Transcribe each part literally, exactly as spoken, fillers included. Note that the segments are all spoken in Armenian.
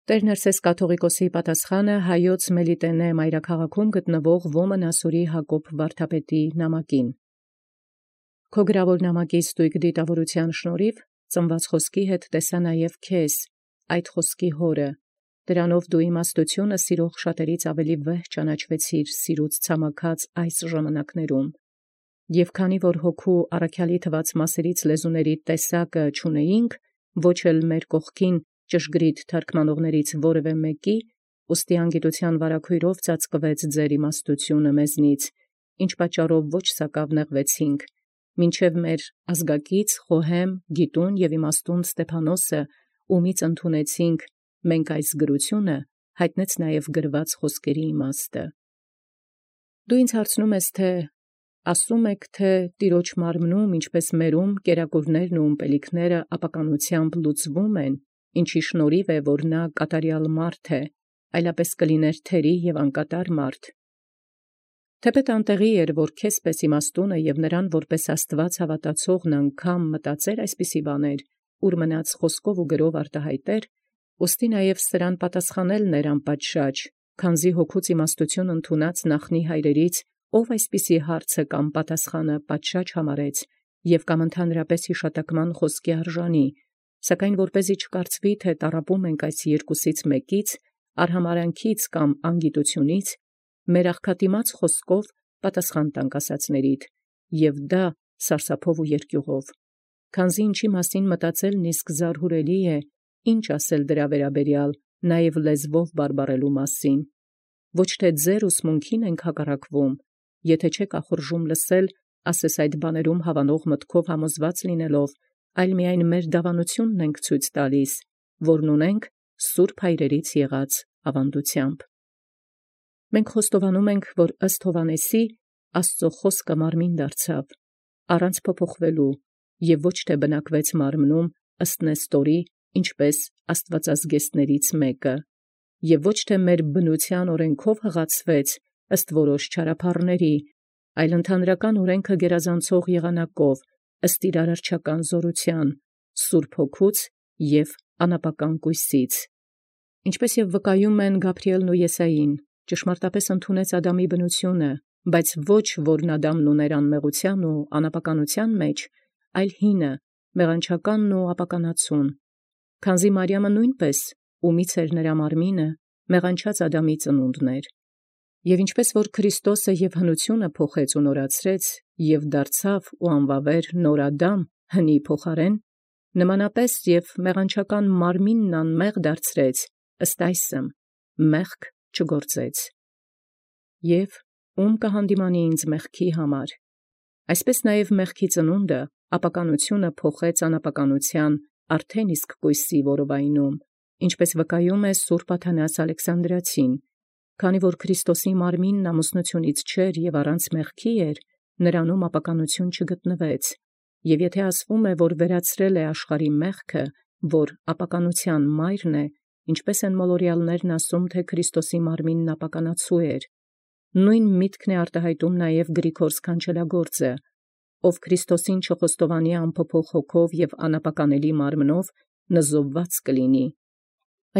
Տեր Ներսես կաթողիկոսի պատասխանը հայոց Մելիտենե մայրաքաղաքում գտնվող Ոմն Ասորի Հակոբ վարդապետի նամակին։ Քո գրավոր նամակի ստույգ դիտավորության շնորհիվ ծնված խոսքի հետ տեսա նաև քեզ, այդ խոսքի հորը, դրանով դու իմաստությունը սիրող շատերից ավելի վեհ ճանաչվեցիր սիրուց ցամաքած այս ժամանակներում, և քանի որ հոգու առաքյալի թված մասերից լեզուների տեսակը չունեինք, ոչ էլ մեր կողքին ճշգրիտ թարգմանողներից որևէ մեկի, ուստի անգիտության վարագույրով ծածկվեց ձեր իմաստությունը մեզնից, ինչ պատճառով ոչ սակավ նեղվեցինք, մինչև մեր ազգակից խոհեմ, գիտուն և իմաստուն Ստեփանոսը, ումից ընդունեցինք մենք այս գրությունը, հայտնեց նաև գրված խոսքերի իմաստը։ Դու ինձ հարցնում ես, թե ասում եք, թե Տիրոջ մարմնում, ինչպես մերում, կերակուրներն ու ըմպելիքները ապականությամբ լուծվում են, ինչի շնորհիվ է, որ նա կատարյալ մարդ է, այլապես կլիներ թերի և անկատար մարդ։ Թեպետ անտեղի էր, որ քեզպես իմաստունը և նրան որպես Աստված հավատացողն անգամ մտածեր այսպիսի բաներ, ուր մնաց խոսքով ու գրով արտահայտեր, ուստի նաև սրան պատասխանելն էր անպատշաճ, քանզի հոգուց իմաստություն ընդունած նախնի հայրերից, ով այսպիսի հարցը կամ պատասխանը պատշաճ համարեց, և կամ ընդհանրապես յիշատակման խոսքի արժանի, սակայն որպեսզի չկարծվի, թե տառապում ենք այս երկուսից մեկից, արհամարանքից կամ անգիտությունից, մեր աղքատիմաց խոսքով պատասխան տանք ասացնելիդ, և դա սարսափով ու երկյուղով, քանզի ինչի մասին մտածելն իսկ զարհուրելի է, ինչ ասել դրա վերաբերյալ, նաև լեզվով բարբառելու մասին, ոչ թե ձեր ուսմունքին ենք հակառակվում, եթե չեք ախորժում լսել, ասես այդ բաներում հավանող մտքով համոզված լինելով, այլ միայն մեր դավանությունն ենք ցույց տալիս, որն ունենք սուրբ հայրերից եղած ավանդությամբ։ Մենք խոստովանում ենք, որ ըստ Հովհաննեսի Աստծո խոսքը մարմին դարձավ, առանց փոփոխվելու, և ոչ թե բնակվեց մարմնում ըստ Նեստորի, ինչպես աստվածազգեստներից մեկը, և ոչ թե մեր բնության օրենքով հղացվեց ըստ որոշ չարափառների, այլ ընդհանրական օրենքը գերազանցող եղանակով, ըստ իր արարչական զորության, Սուրբ Հոգուց և անապական կույսից։ Ինչպես և վկայում են Գաբրիէլն ու Եսային, ճշմարտապես ընդունեց Ադամի բնությունը, բայց ոչ որն Ադամն ուներ անմեղության ու անապականության մեջ, այլ հինը, մեղանչականն ու ապականացուն, քանզի Մարիամը նույնպես, ումից էր նրա մարմինը, մեղանչած Ադամի ծնունդն էր։ Եւ ինչպես որ Քրիստոսը և հնությունը փոխեց ու նորացրեց, և դարձավ ու անվավեր նոր Ադամ հնի փոխարեն, նմանապես և մեղանչական մարմինն անմեղ դարձրեց, ըստ այսմ, մեղք չգործեց։ Եվ ո՞ւմ կհանդիմանի ինձ մեղքի համար։ Այսպես նաև մեղքի ծնունդը ապականությունը փոխեց անապականության արդեն իսկ կույսի որովայնում, ինչպես վկայում է Սուրբ Աթանաս Ալեքսանդրացին, քանի որ Քրիստոսի մարմինն ամուսնությունից չէր և առանց մեղքի էր, նրանում ապականություն չգտնվեց, և եթե ասվում է, որ վերացրել է աշխարհի մեղքը, որ ապականության մայրն է, ինչպես են մոլորյալներն ասում, թե Քրիստոսի մարմինն ապականացու էր, նույն միտքն է արտահայտում նաև Գրիգոր սքանչելագործը, ով Քրիստոսին չխոստովանի անփոփոխ հոգով և անապականելի մարմնով նզովված կլինի։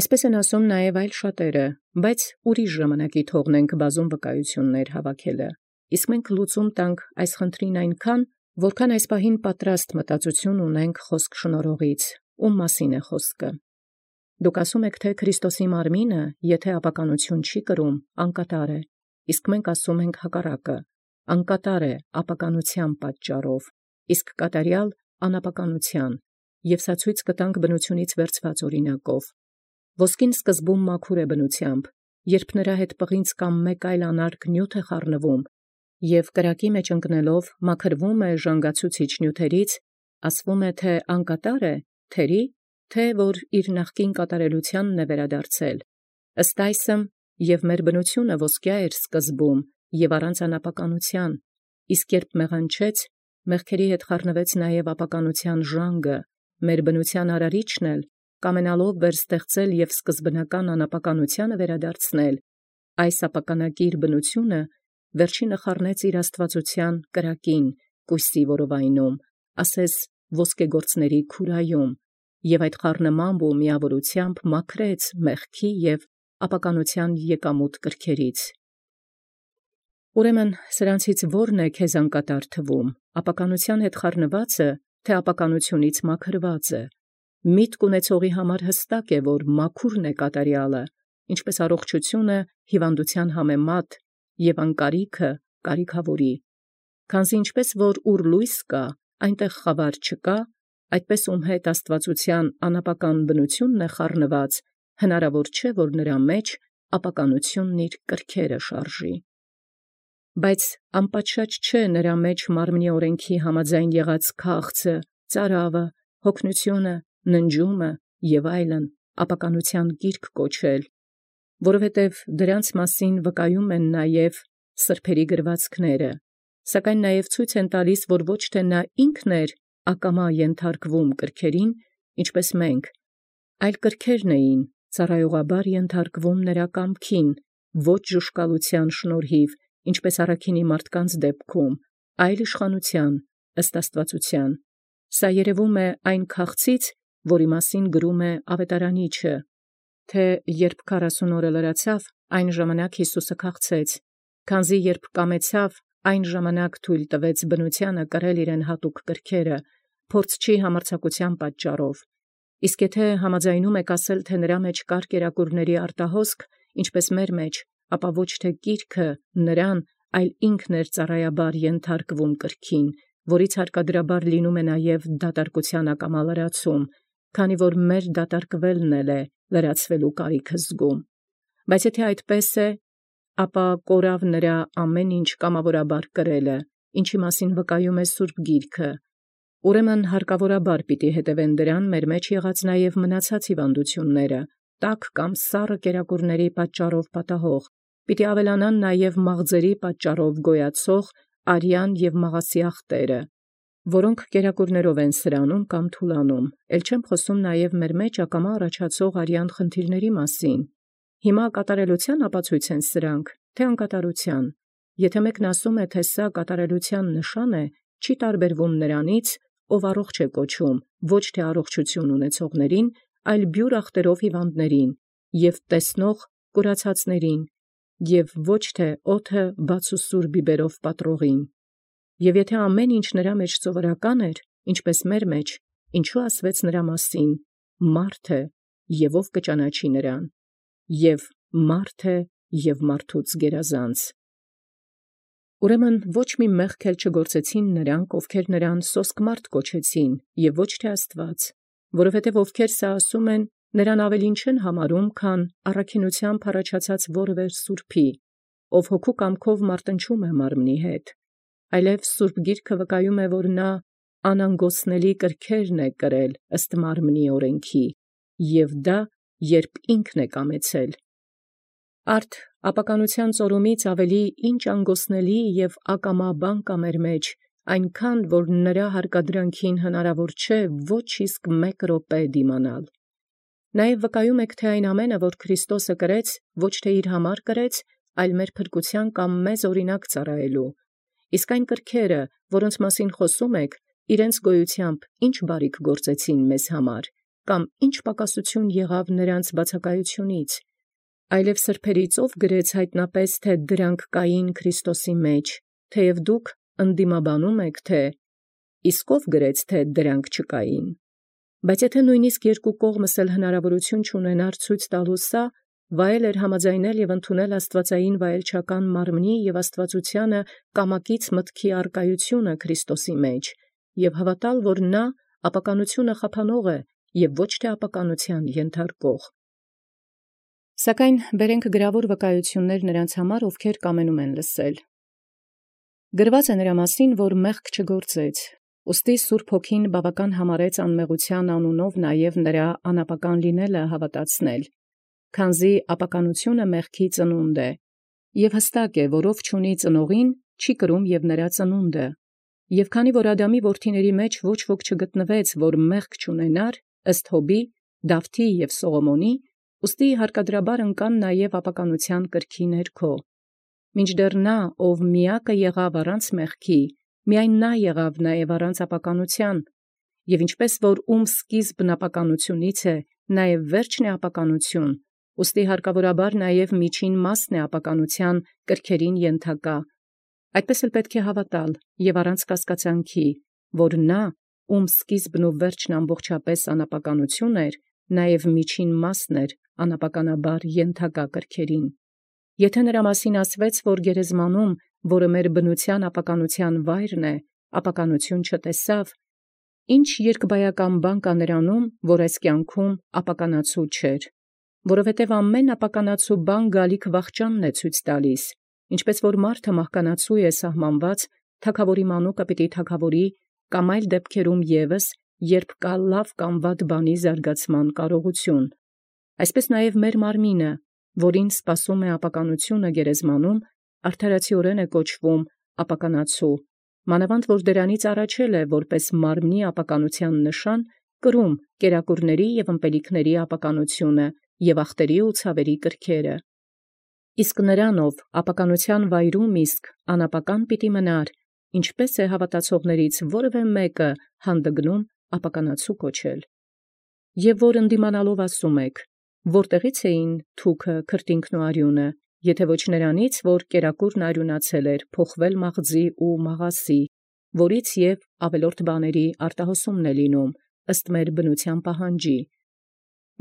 Այսպես են ասում նաև այլ շատերը, բայց ուրիշ ժամանակի թողնենք բազում վկայություններ հավաքելը, իսկ մենք լուծում տանք այս խնդրին այնքան, որքան այս պահին պատրաստ մտածություն ունենք խոսք շնորհողից, ում մասին է խոսքը։ Դուք ասում եք, թե Քրիստոսի մարմինը, եթե ապականություն չի կրում, անկատար է, իսկ մենք ասում ենք հակառակը, անկատար է ապականության պատճառով, իսկ կատարյալ անապականության, և սա ցույց կտանք բնությունից վերցված օրինակով։ Ոսկին սկզբում մաքուր է բնությամբ, երբ նրա հետ պղինձ կամ մեկ այլ անարգ նյութ է խառնվում, և կրակի մեջ ընկնելով մաքրվում է ժանգացուցիչ նյութերից, ասվում է, թե անկատար է, թերի, թե որ իր նախկին կատարելությանն է վերադարձել։ Ըստ այսմ, և մեր բնությունը ոսկյա էր սկզբում և առանց անապականության, իսկ երբ մեղանչեց, մեղքերի հետ խառնվեց նաև ապականության ժանգը, մեր բնության արարիչն էլ, կամենալով վերստեղծել և սկզբնական անապականությանը վերադարձնել, այս ապականակիր բնությունը վերջինը խառնեց իր աստվածության կրակին, կույսի որովայնում, ասես ոսկեգործների քուրայում, և այդ խառնմամբ ու միավորութեամբ մաքրեց մեղքի և ապականութեան եկամուտ կրքերից։ Ուրեմն սրանցից ո՞րն է քեզ անկատար թվում, ապականութեան հետ խառնվածը, թե ապականութիւնից մաքրվածը։ Միտք ունեցողի համար հստակ է, որ մաքուրն է կատարեալը, ինչպէս առողջութիւնը հիւանդութեան համեմատ, և անկարիքը կարիքաւորի։ Քանզի ինչպէս որ ուր լոյս կա, այնտեղ խաւար չկա, այդպէս ում հետ աստուածութեան անապական բնութիւնն է խառնված, հնարաւոր չէ, որ նրա մեջ ապականութիւնն իր կրքերը շարժի։ Բայց անպատշաճ չէ նրա մեջ մարմնի օրենքի համաձայն եղած քաղցը, ծարավը, հոգնութիւնը, ննջումը և այլն ապականութեան գիրք կոչել, որովհետև դրանց մասին վկայում են նաև սրբերի գրվածքները, սակայն նաև ցույց են տալիս, որ ոչ թե նա ինքն էր ակամա ենթարկվում կրքերին, ինչպես մենք, այլ կրքերն էին ծառայողաբար ենթարկվում նրա կամքին, ոչ ժուշկալութեան շնորհիվ, ինչպես առաքինի մարդկանց դեպքում, այլ իշխանութեան ըստ աստուածութեան։ Սա երևում է այն քաղցից, որի մասին գրում է Ավետարանիչը, թե երբ քառասուն օրը լրացավ, այն ժամանակ Յիսուսը քաղցեց, քանզի երբ կամեցավ, այն ժամանակ թույլ տվեց բնութեանը կրել իրեն հատուկ կրքերը, փորձչի համարձակութեան պատճառով։ Իսկ եթե համաձայնում եք ասել, թե նրա մեջ կար կերակուրների արտահոսք, ինչպես մեր մեջ, ապա ոչ թե գիրքը նրան, այլ ինքն էր ծառայաբար ենթարկվում կրքին, որից հարկադրաբար լինում է նաև դատարկութեան ակամա լրացում, քանի որ մեր դատարկվելն էլ է լրացվելու կարիքը զգում։ Բայց եթե այդպես է, ապա կորավ նրա ամեն ինչ կամավորաբար կրելը, ինչի մասին վկայում է Սուրբ Գիրքը։ Ուրեմն հարկավորաբար պիտի հետևեն դրան մեր մեջ եղած նաև մնացած հիվանդութիւնները, տաք կամ սառը կերակուրների պատճառով պատահող, պիտի ավելանան նաև մաղձերի պատճառով գոյացող արյան և մաղասիախտերը, որոնք կերակուրներով են սրանում կամ թուլանում, ել չեմ խոսում նաև մեր մեջ ակամա առաջացող արյան խնդիրների մասին։ Հիմա կատարելութեան ապացույց են սրանք, թե անկատարութեան։ Եթե մեկն ասում է, թե սա կատարելութեան նշան է, չի տարբերվում նրանից, ով առողջ է կոչում, ոչ թե առողջութիւն ունեցողներին, այլ բյուր ախտերով հիվանդներին, և տեսնող կուրացածներին, և ոչ թե օդը բաց ու սուր բիբերով պատռողին։ Եւ եթե ամեն ինչ նրա մեջ սովորական էր, ինչպես մեր մեջ, ինչու ասվեց նրա մասին. մարդ է, եւ ով կճանաչի նրան, եւ մարդ է և մարդուց գերազանց։ Ուրեմն ոչ մի մեղք էլ չգործեցին նրանք, ովքեր նրան սոսկ մարդ կոչեցին, եւ ոչ թե Աստուած, որովհետև ովքեր սա ասում են, նրան ավելին չեն համարում, քան առաքինութեամբ առաջացած որևէ սուրբի, ով հոգու կամքով մարտնչում է մարմնի հետ, այլև Սուրբ Գիրքը վկայում է, որ նա անանգոցնելի կրքերն է կրել ըստ մարմնի օրենքի, և դա երբ ինքն է կամեցել։ Արդ ապականութեան ծորումից ավելի ինչ անգոսնելի և ակամա բան կա մեր մեջ, այնքան որ նրա հարկադրանքին հնարավոր չէ ոչ իսկ մեկ րոպե դիմանալ։ Նաև վկայում եք, թե այն ամենը, որ Քրիստոսը կրեց, ոչ թե իր համար կրեց, այլ մեր փրկութեան կամ մեզ օրինակ ծառայելու։ Իսկ այն կրքերը, որոնց մասին խոսում եք, իրենց գոյութեամբ ինչ բարիք գործեցին մեզ համար, կամ ինչ պակասություն եղավ նրանց բացակայությունից, այլև սրբերից ով գրեց հայտնապես, թե դրանք կային Քրիստոսի մեջ, թեև դուք ընդդիմաբանում եք, թե իսկ ով գրեց, թե դրանք չկային։ Բայց եթե նույնիսկ երկու կողմս էլ հնարավորություն չունենար ցույց տալու սա, վայել էր համաձայնել և ընդունել աստվածային վայելչական մարմնի և աստվածությանը կամակից մտքի արկայությունը Քրիստոսի մեջ, և հավատալ, որ նա ապականությունը խափանող է և ոչ թե ապականութեան ենթարկող։ Սակայն բերենք գրավոր վկայություններ նրանց համար, ովքեր կամենում են լսել։ Գրված է նրա մասին, որ մեղք չգործեց, ուստի Սուրբ Հոգին բավական համարեց անմեղութեան անունով նաև նրա անապական լինելը հավատացնել, քանզի ապականությունը մեղքի ծնունդ է, և հստակ է, որ ով չունի ծնողին, չի կրում և նրա ծնունդը։ Եւ քանի որ Ադամի որդիների մեջ ոչ ոք չգտնվեց, որ մեղք չունենար, ըստ Հոբի, Դավթի և Սողոմոնի, ուստի հարկադրաբար ընկան նաև ապականութեան կրքի ներքո։ Մինչդեռ նա, ով միակը եղավ առանց մեղքի, միայն նա եղավ նաև առանց ապականութեան, և ինչպես որ ում սկիզբն ապականությունից է, նաև վերջն է ապականություն, ուստի հարկավորաբար նաև միջին մասն է ապականութեան կրքերին ենթակա. այդպես էլ պետք է հավատալ և առանց կասկածանքի, որ նա, ում սկիզբն ու վերջն ամբողջապէս անապականություն էր, նաև միջին մասն էր անապականաբար ենթակա կրքերին։ Եթե նրա մասին ասվեց, որ գերեզմանում, որը մեր բնութեան ապականութեան վայրն է, ապականություն չտեսավ, ի՞նչ երկբայական բան կա նրանում, որ այս կյանքում ապականացու չէր, որովհետև ամեն ապականացու բան գալիք վախճանն է ցույց տալիս, ինչպես որ մարդը մահկանացու է սահմանված, թագաւորի մանուկը պիտի թագաւորի, կամ այլ դեպքերում ևս, երբ կա լավ կամ վատ բանի զարգացման կարողություն, այսպես նաև մեր մարմինը, որին սպասում է ապականությունը գերեզմանում, արդարացիորեն է կոչվում ապականացու, մանավանդ որ դրանից առաջել է, որպես մարմնի ապականութեան նշան, կրում կերակուրների և ըմպելիքների ապականությունը և ախտերի ու ցավերի կրքերը։ Իսկ նրանով ապականութեան վայրում իսկ անապական պիտի մնար, ինչպես է հավատացողներից որևէ մեկը հանդգնում ապականացու կոչել։ Եվ որ ընդդիմանալով ասում եք. որտեղի՞ց էին թուքը, քրտինքն ու արյունը, եթե ոչ նրանից, որ կերակուրն արիւնացել էր, փոխվել մաղձի ու մաղասի, որից և ավելորդ բաների արտահոսումն է լինում, ըստ մեր բնութեան պահանջի։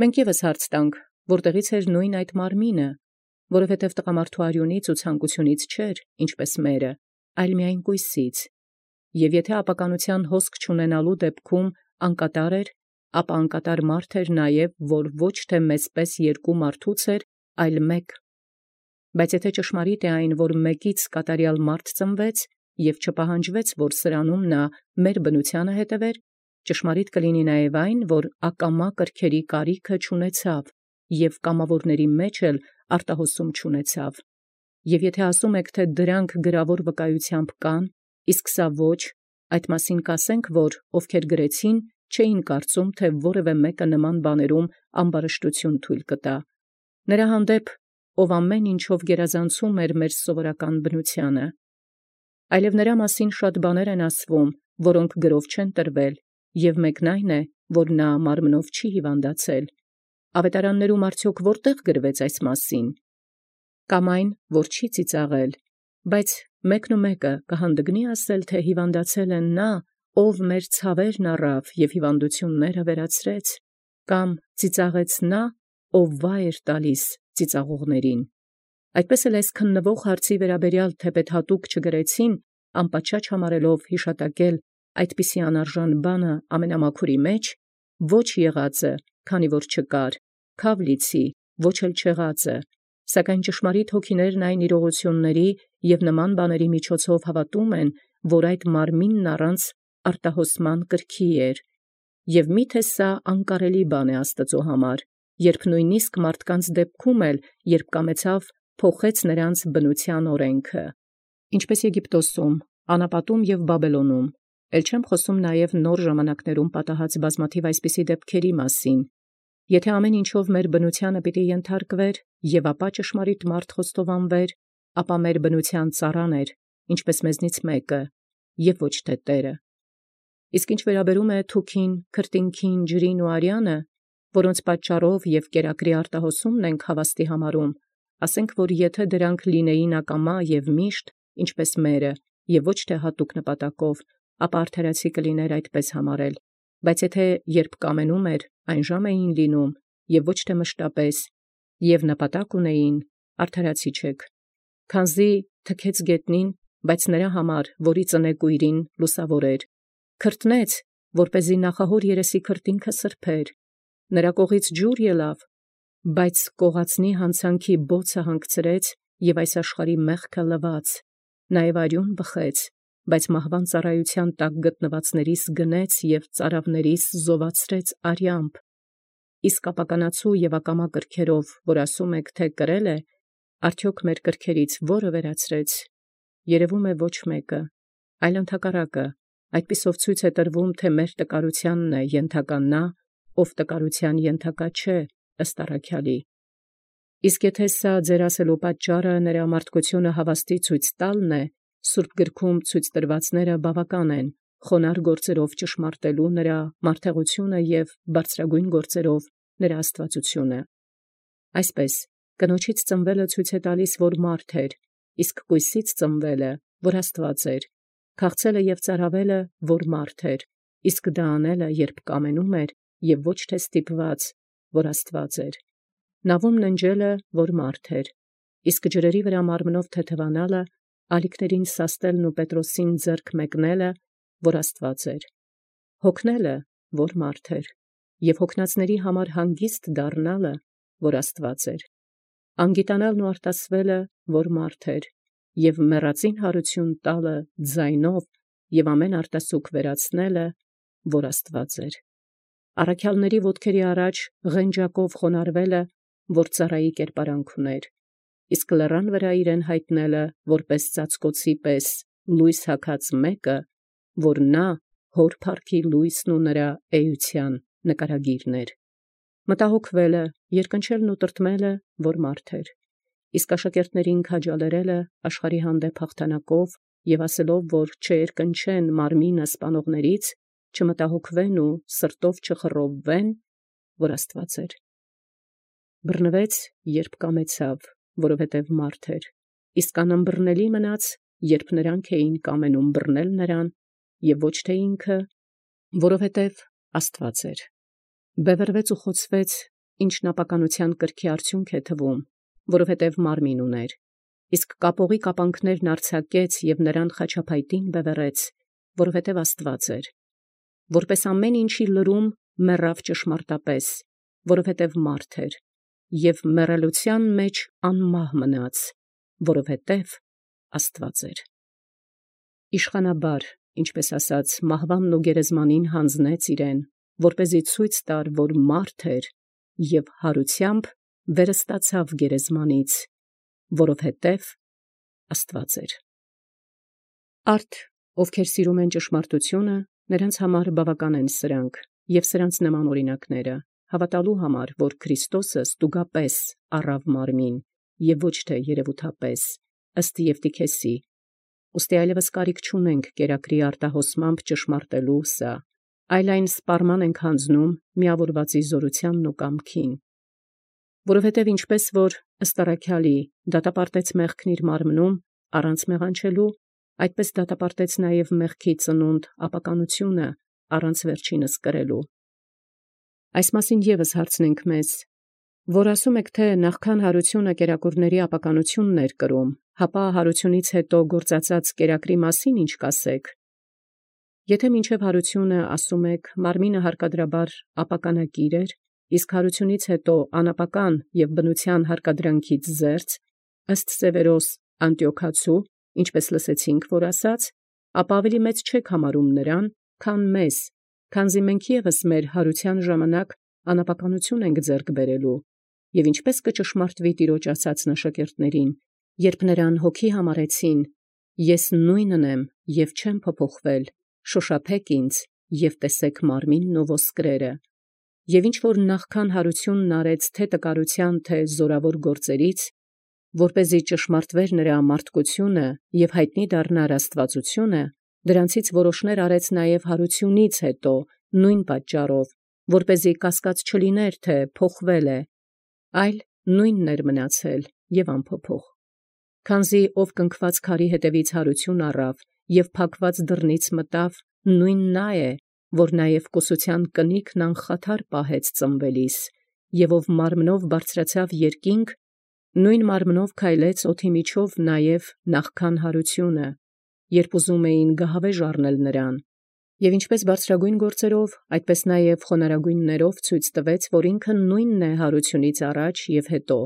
Մենք ևս հարց տանք, որտեղի՞ց էր նույն այդ մարմինը, որովհետև տղամարդու արյունից ու ցանկությունից չէր, ինչպես մերը, այլ միայն կոյսից։ Եվ եթե ապականութեան հոսք չունենալու դեպքում անկատար էր, ապա անկատար մարդ էր նաև, որ ոչ թե մեծպես երկու մարդուց էր, այլ մեկ։ Բայց եթե ճշմարիտ է այն, որ մեկից կատարյալ մարդ ծնվեց, և չպահանջվեց, որ սրանում նա մեր բնութեանը հետևեր, ճշմարիտ կլինի նաև այն, որ ակամա կրքերի կարիքը չունեցավ, և կամավորների մեջ էլ արտահոսում չունեցավ։ Եվ եթե ասում եք, թե դրանք գրավոր վկայութեամբ կան, իսկ սա ոչ, այդ մասին կասենք, որ ովքեր գրեցին, չէին կարծում, թե որևէ մեկը նման բաներում ամբարշտություն թույլ կտա։ Նրա հանդեպ, ով ամեն ինչով գերազանցում էր մեր սովորական բնութեանը։ Այլև նրա մասին շատ բաներ են ասվում, որոնք գրով չեն տրվել, և մեկն այն է, որ նա մարմնով չի հիվանդացել։ Ավետարաններում արդյոք որտեղ գրվեց այս մասին։ Կամ այն, որ չի ծիծաղել, բայց մեկն ու մեկը կհանդգնի ասել, թե հիվանդացել է նա, ով մեր ցավերն առավ և հիվանդությունները վերացրեց, կամ ծիծաղեց նա, ով վայ էր տալիս ծիծաղողներին։ Այդպես էլ այս քննվող հարցի վերաբերյալ թեպետ հատուկ չգրեցին, անպատշաճ համարելով հիշատակել այդպիսի անարժան բանը ամենամաքուրի մեջ, ոչ եղածը, քանի որ չկար, քաւ լիցի, ոչ էլ չեղածը, սակայն ճշմարիտ հոգիներն այն իրողությունների և նման բաների միջոցով հավատում են, որ այդ մարմինն առանց արտահոսման կրքի էր, և միթե սա անկարելի բան է Աստուծոյ համար, երբ նույնիսկ մարդկանց դեպքում էլ, երբ կամեցավ, փոխեց նրանց բնութեան օրենքը, ինչպես Եգիպտոսում, անապատում և Բաբելոնում, ել չեմ խոսում նաև նոր ժամանակներում պատահած բազմաթիվ այսպիսի դեպքերի մասին։ Եթե ամեն ինչով մեր բնութեանը պիտի ենթարկվեր, և ապա ճշմարիտ մարդ խոստովանվեր, ապա մեր բնութեան ծառան էր, ինչպես մեզնից մեկը, և ոչ թե Տերը։ Իսկ ինչ վերաբերում է թուքին, քրտինքին, ջրին ու արյանը, որոնց պատճառով և կերակրի արտահոսումն ենք հավաստի համարում, ասենք, որ եթե դրանք լինեին ակամա և միշտ, ինչպես մերը, և ոչ թե հատուկ նպատակով, ապա արդարացի կլիներ այդպես համարել, բայց եթե երբ կամենում էր, այն ժամ էին լինում, և ոչ թե մշտապես, և նպատակ ունեին, արդարացի չեք, քանզի թքեց գետնին, բայց նրա համար, որի ծնեկույրին լուսավոր էր, քրտնեց, որպեսզի նախահոր երեսի քրտինքը սրբեր, նրա կողից ջուր ելավ, բայց կողածնի հանցանքի բոցը հանգցրեց և այս աշխարհի մեղքը լվաց, նաև արյուն բխեց, բայց մահվան ծառայության տակ գտնվածներիս գնեց և ծարավներիս զովացրեց արյամբ, իսկ ապականացու և ակամա կրքերով, որ ասում եք, թե կրել է, արդյոք մեր կրքերից որը վերացրեց, երևում է ոչ մեկը, այլ ընդհակառակը, այդպիսով ցույց է տրվում, թե մեր տկարութեանն է ենթակա նա, ով տկարութեան ենթակա չէ, ըստ առաքյալի։ Իսկ եթե սա ձեր ասելու պատճառը նրա մարդկությունը հավաստի ցույց տալն է, Սուրբ գրքում ցույց տրվածները բավական են, խոնար գործերով ճշմարտելու նրա մարդեղությունը և բարձրագույն գործերով նրա աստվածությունը։ Այսպես կնոջից ծնվելը ցույց է տալիս, որ մարդ էր, իսկ կույսից ծնվելը, որ Աստված էր, քաղցելը և ծարավելը, որ մարդ էր, իսկ դա անելը, երբ կամենում էր, և ոչ թե ստիպված, որ Աստված էր, նավում ննջելը, որ մարդ էր, իսկ ջրերի վրա մարմնով թեթևանալը, ալիքներին սաստելն ու Պետրոսին ձեռք մեկնելը, որ Աստված էր, հոգնելը, որ մարդ էր, և հոգնածների համար հանգիստ դառնալը, որ Աստված էր, անգիտանալն ու արտասվելը, որ մարդ էր, և մեռածին հարություն տալը ձայնով և ամեն արտասուք վերացնելը, որ Աստված էր, առաքյալների ոտքերի առաջ ղենջակով խոնարհվելը, որ ծառայի կերպարանք ուներ, իսկ լեռան վրա իրեն հայտնելը, որպես ծածկոցի պես լույս հագած մեկը, որ նա հոր փառքի լույսն ու նրա էության նկարագիրն էր, մտահոգվելը, երկնչելն ու տրտմելը, որ մարդ էր, իսկ աշակերտներին քաջալերելը աշխարհի հանդեպ հաղթանակով և ասելով, որ չերկնչեն մարմինը սպանողներից, չմտահոգվեն ու սրտով չխռովվեն, որ Աստված էր, բռնվեց, երբ կամեցավ, որովհետև մարդ էր, իսկ անըմբռնելի մնաց, երբ նրանք էին կամենում բռնել նրան, և ոչ թե ինքը, որովհետև Աստված էր, բևեռվեց ու խոցվեց, ինչն ապականության կրքի արդյունք է թվում, որովհետև մարմին ուներ, իսկ կապողի կապանքներն արձակեց և նրան խաչափայտին բևեռեց, որովհետև Աստված էր, որպես ամեն ինչի լրում մեռավ ճշմարտապես, որովհետև մարդ էր, և մեռելության մեջ անմահ մնաց, որովհետև Աստված էր, իշխանաբար, ինչպես ասած, մահվանն ու գերեզմանին հանձնեց իրեն, որպեսզի ցույց տար, որ մարդ էր, և հարությամբ վերստացավ գերեզմանից, որովհետև Աստված էր։ Արդ, ովքեր սիրում են ճշմարտությունը, նրանց համար բավական են սրանք, և սրանց նման օրինակները, հավատալու համար, որ Քրիստոսը ստուգապես առավ մարմին, և ոչ թե երևութապես, ըստ Եվտիքեսի, ուստի այլևս կարիք չունենք կերակրի արտահոսմամբ ճշմարտելու սա, այլ այն սպառման ենք հանձնում միավորվածի զորությանն ու կամքին, որովհետև ինչպես որ ըստ առաքյալի դատապարտեց մեղքն իր մարմնում առանց մեղանչելու, այդպես դատապարտեց նաև մեղքի ծնունդ ապականությունը առանց վերջինս կրելու։ Այս մասին ևս հարցնենք մեզ, որ ասում եք, թե նախքան հարությունը կերակուրների ապականությունն էր կրում, հապա հարությունից հետո գործածած կերակրի մասին ինչ կասեք։ Եթե մինչև հարությունը ասում եք, մարմինը հարկադրաբար ապականակիր էր, իսկ հարությունից հետո անապական և բնության հարկադրանքից զերծ, ըստ Սևերոս Անտիոքացու, ինչպես լսեցինք, որ ասաց, ապա ավելի մեծ չեք համարում նրան, քան մեզ, քանզի մենք ևս մեր հարության ժամանակ անապականություն ենք ձեռք բերելու, և ինչպես կճշմարտվի Տիրոջ ասացն աշակերտներին, երբ նրան հոգի համարեցին, ես նույնն եմ և չեմ փոփոխվել, շոշափեք ինձ և տեսեք մարմինն ու ոսկրերը, և ինչ որ նախքան հարությունն արեց թե տկարության, թե զորավոր գործերից, որպեսզի ճշմարտվեր նրա մարդկությունը և հայտնի դառնար աստվածությունը, դրանցից որոշներ արեց նաև հարությունից հետո նույն պատճառով, որպեսզի կասկած չլիներ, թե փոխվել է, այլ նույնն էր մնացել և անփոփոխ, քանզի ով կնքված քարի հետևից հարություն առավ և փակված դռնից մտավ, նույն նա է, որ նաև կուսության կնիքն անխաթար պահեց ծնվելիս, և ով մարմնով բարձրացավ երկինք, նույն մարմնով քայլեց օդի միջով նաև նախքան հարությունը, երբ ուզում էին գահավեժ առնել նրան, և ինչպես բարձրագույն գործերով, այդպես նաև խոնարհագույններով ցույց տվեց, որ ինքը նույնն է հարությունից առաջ և հետո,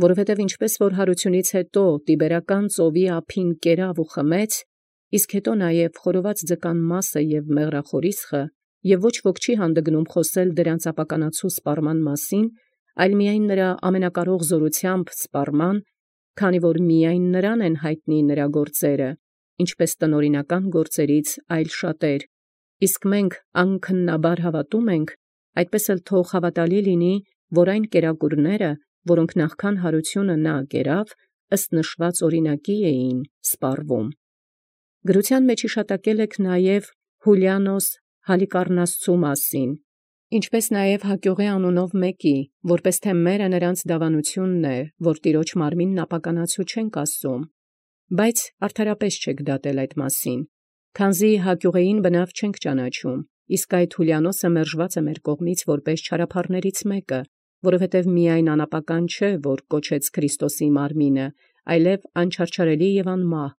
որովհետև ինչպես որ հարությունից հետո տիբերական ծովի ափին կերավ ու խմեց, իսկ հետո նաև խորոված ձկան մասը և մեղրախորիսխը, և ոչ ոք չի հանդգնում խոսել դրանց ապականացու սպառման մասին, այլ միայն նրա ամենակարող զորությամբ սպառման, քանի որ միայն նրան են հայտնի նրա գործերը, ինչպես տնօրինական գործերից այլ շատեր, իսկ մենք անքննաբար հավատում ենք, այդպես էլ թող հավատալի լինի, որ այն կերակուրները, որոնք նախքան հարությունը նա կերավ, ըստ նշված օրինակի էին սպառվում։ Գրության մեջ իշտակել եք նաև, Հուլիանոս Հալիկառնասցու մասին, ինչպէս նաև Հակիղի անունով մեկի, որպէս թէ մերը նրանց դավանութիւնն է, որ տիրոջ մարմինն ապականացու չենք ասում, բայց արդարապէս չեք դատել այդ մասին, քանզի Հակիղեին բնաւ չենք ճանաչում, իսկ այդ Հուլիանոսը մերժված է մեր կողմից որպէս չարափառներից մեկը, որովհետև միայն անապական չէ, որ կոչեց Քրիստոսի մարմինը, այլև անչարչարելի եւ անմահ,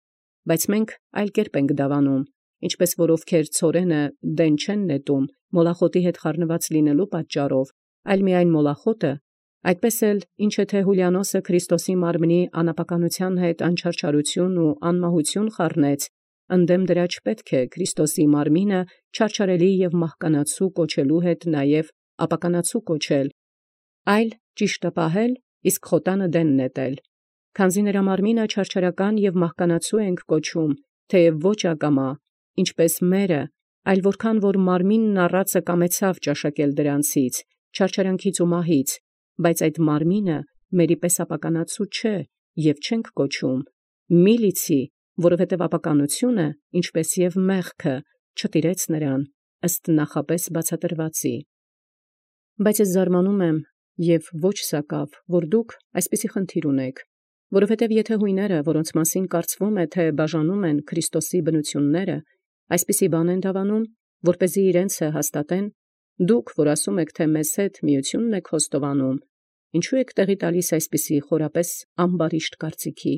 բայց մենք այլ կերպ ենք դավանում, ինչպէս որ ովքեր ցորենը դեն չեն նետում, մոլախոտի հետ խառնված լինելու պատճառով, այլ միայն մոլախոտը, այդպես էլ ինչ թե Հուլիանոսը Քրիստոսի մարմնի անապականութեան հետ անչարչարություն ու անմահություն խառնեց, ընդդեմ դրա չպետք է Քրիստոսի մարմինը չարչարելի եւ մահկանացու կոչելու հետ նաև ապականացու կոչել, այլ ճիշտը պահել, իսկ խոտանը դեն նետել, քանզի նրա մարմինը չարչարական եւ մահկանացու ենք կոչում, թեև ոչ ակամա, ինչպես մերը, այլ որքան որ մարմինն առածը կամեցավ ճաշակել դրանցից, չարչարանքից ու մահից, բայց այդ մարմինը մերի պես ապականացու չէ, եւ չենք կոչում, մի լիցի, որովհետև ապականությունը, ինչպես եւ մեղքը, չտիրեց նրան, ըստ նախապես բացատրվածի։ Բայց ես զարմանում եմ, եւ ոչ սակավ, որ դուք այսպիսի խնդիր ունեք, որովհետև եթե հույները, որոնց մասին կարծվում է, թե բաժանում են Քրիստոսի բնությունները, այսպիսի բան են դավանում, որպեսզի իրենցը հաստատեն, դուք, որ ասում եք, թե մեզ հետ միությունն եք խոստովանում, ինչու եք տեղի տալիս այսպիսի խորապես ամբարիշտ կարծիքի,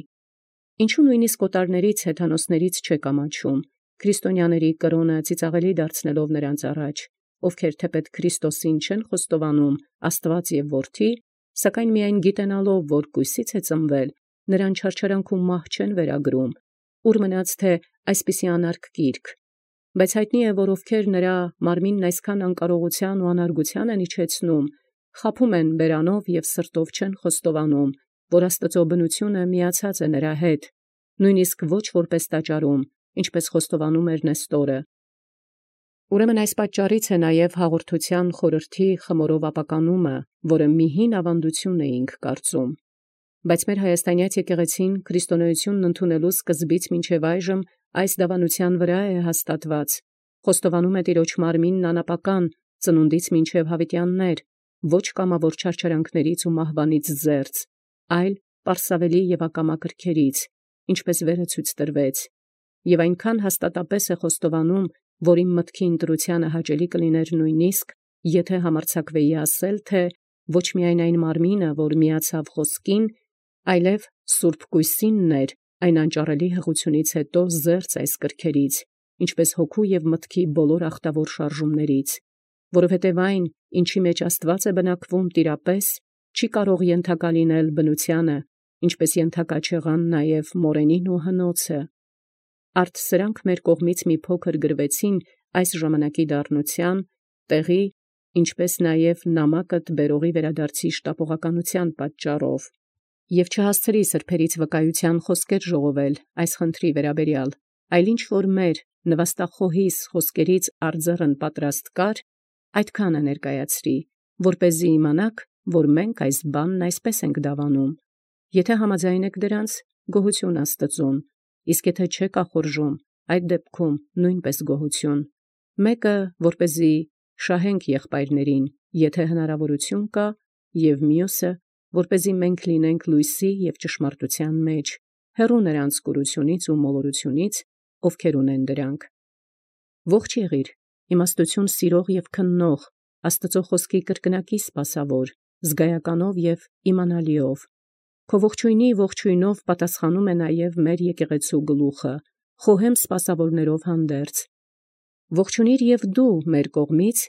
ինչու նույնիսկ օտարներից հեթանոսներից չեք ամաչում, քրիստոնյաների կրոնը ծիծաղելի դարձնելով նրանց առաջ, ովքեր թեպետ Քրիստոսին չեն խոստովանում Աստված եւ Որդի, սակայն միայն գիտենալով, որ կույսից է ծնվել, նրան չարչարանքում մահ չեն վերագրում, ուր մնաց թե այսպիսի անարգ գիրք, բայց հայտնի է, որ ովքեր նրա մարմինն այսքան անկարողության ու անարգության են իջեցնում, խաբում են բերանով եւ սրտով չեն խոստովանում, որ Աստծո բնությունը միացած է նրա հետ, նույնիսկ ոչ որպես տաճարում, ինչպես խոստովանում էր Նեստորը։ Ուրեմն այս պատճառից է նաև հաղորդության խորհրդի խմորով ապականումը, որը մի հին ավանդություն էինք կարծում։ Բայց մեր հայաստանյաց եկեղեցին քրիստոնեությունն ընդունելու սկզբից մինչև այժմ այս դավանության վրա է հաստատված, խոստովանում է տիրոջ մարմինն անապական, ծնունդից մինչև հավիտյաններ, ոչ կամավոր չարչարանքներից ու մահվանից զերծ, այլ պարսավելի եւ ակամա կրքերից, ինչպես վերը ցույց տրվեց, եւ այնքան հաստատապես է խոստովանում, որ իմ մտքի ընտրությանը հաճելի կլիներ նույնիսկ, եթե համարձակվեի ասել, թե ոչ միայն այն մարմինը, որ միացավ խոսքին, այլև սուրբ կույսինն էր, այն անճարելի հղությունից հետո զերծ այս կրքերից, ինչպես հոգու եւ մտքի բոլոր ախտավոր շարժումներից, որովհետև այն, ինչի մեջ Աստված է բնակվում տիրապես, չի կարող ենթակա լինել բնությանը, ինչպես ենթակա չեղան նաև մորենին ու հնոցը։ Արդ սրանք մեր կողմից մի փոքր գրվեցին այս ժամանակի դառնության, տեղի, ինչպես նաև նամակդ բերողի վերադարձի շտապողականության պատճառով։ Եվ չհասցրի սրբերից վկայության խոսքեր ժողովել այս խնդրի վերաբերյալ, այլ ինչ որ մեր նվաստախոհիս խոսքերից արձեռն պատրաստ կար, այդքանը ներկայացրի, որպեսզի իմանաք, որ մենք այս բանն այսպես ենք դավանում։ Եթե համաձայն եք դրանց, գոհություն Աստծուն, իսկ եթե չեք ախորժում, այդ դեպքում նույնպես գոհություն։ Մեկը, որպեսզի շահենք եղբայրներին, եթե հնարավորություն կա, եւ մյուսը, որպեսզի մենք լինենք լույսի եւ ճշմարտության մեջ, հեռու նրանց կուրությունից ու մոլորությունից, ովքեր ունեն դրանք։ Ողջ եղիր, իմաստություն սիրող եւ քննող, Աստծո խոսքի կրկնակի սպասավոր, զգայականով եւ իմանալիով։ Քո ողջույնի ողջույնով պատասխանում է նաև մեր եկեղեցու գլուխը, խոհեմ սպասավորներով հանդերձ։ Ողջունիր եւ դու մեր կողմից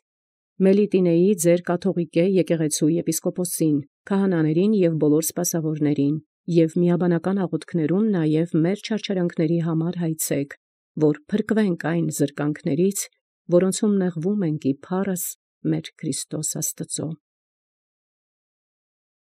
Մելիտինեի ձեր կաթողիկե եկեղեցու եպիսկոպոսին, քահանաներին եւ բոլոր սպասավորներին, եւ միաբանական աղոթքներում նաև մեր չարչարանքների համար հայցեք, որ փրկվենք այն զրկանքներից, որոնցում նեղվում ենք ի փառս մեր Քրիստոս Աստծո։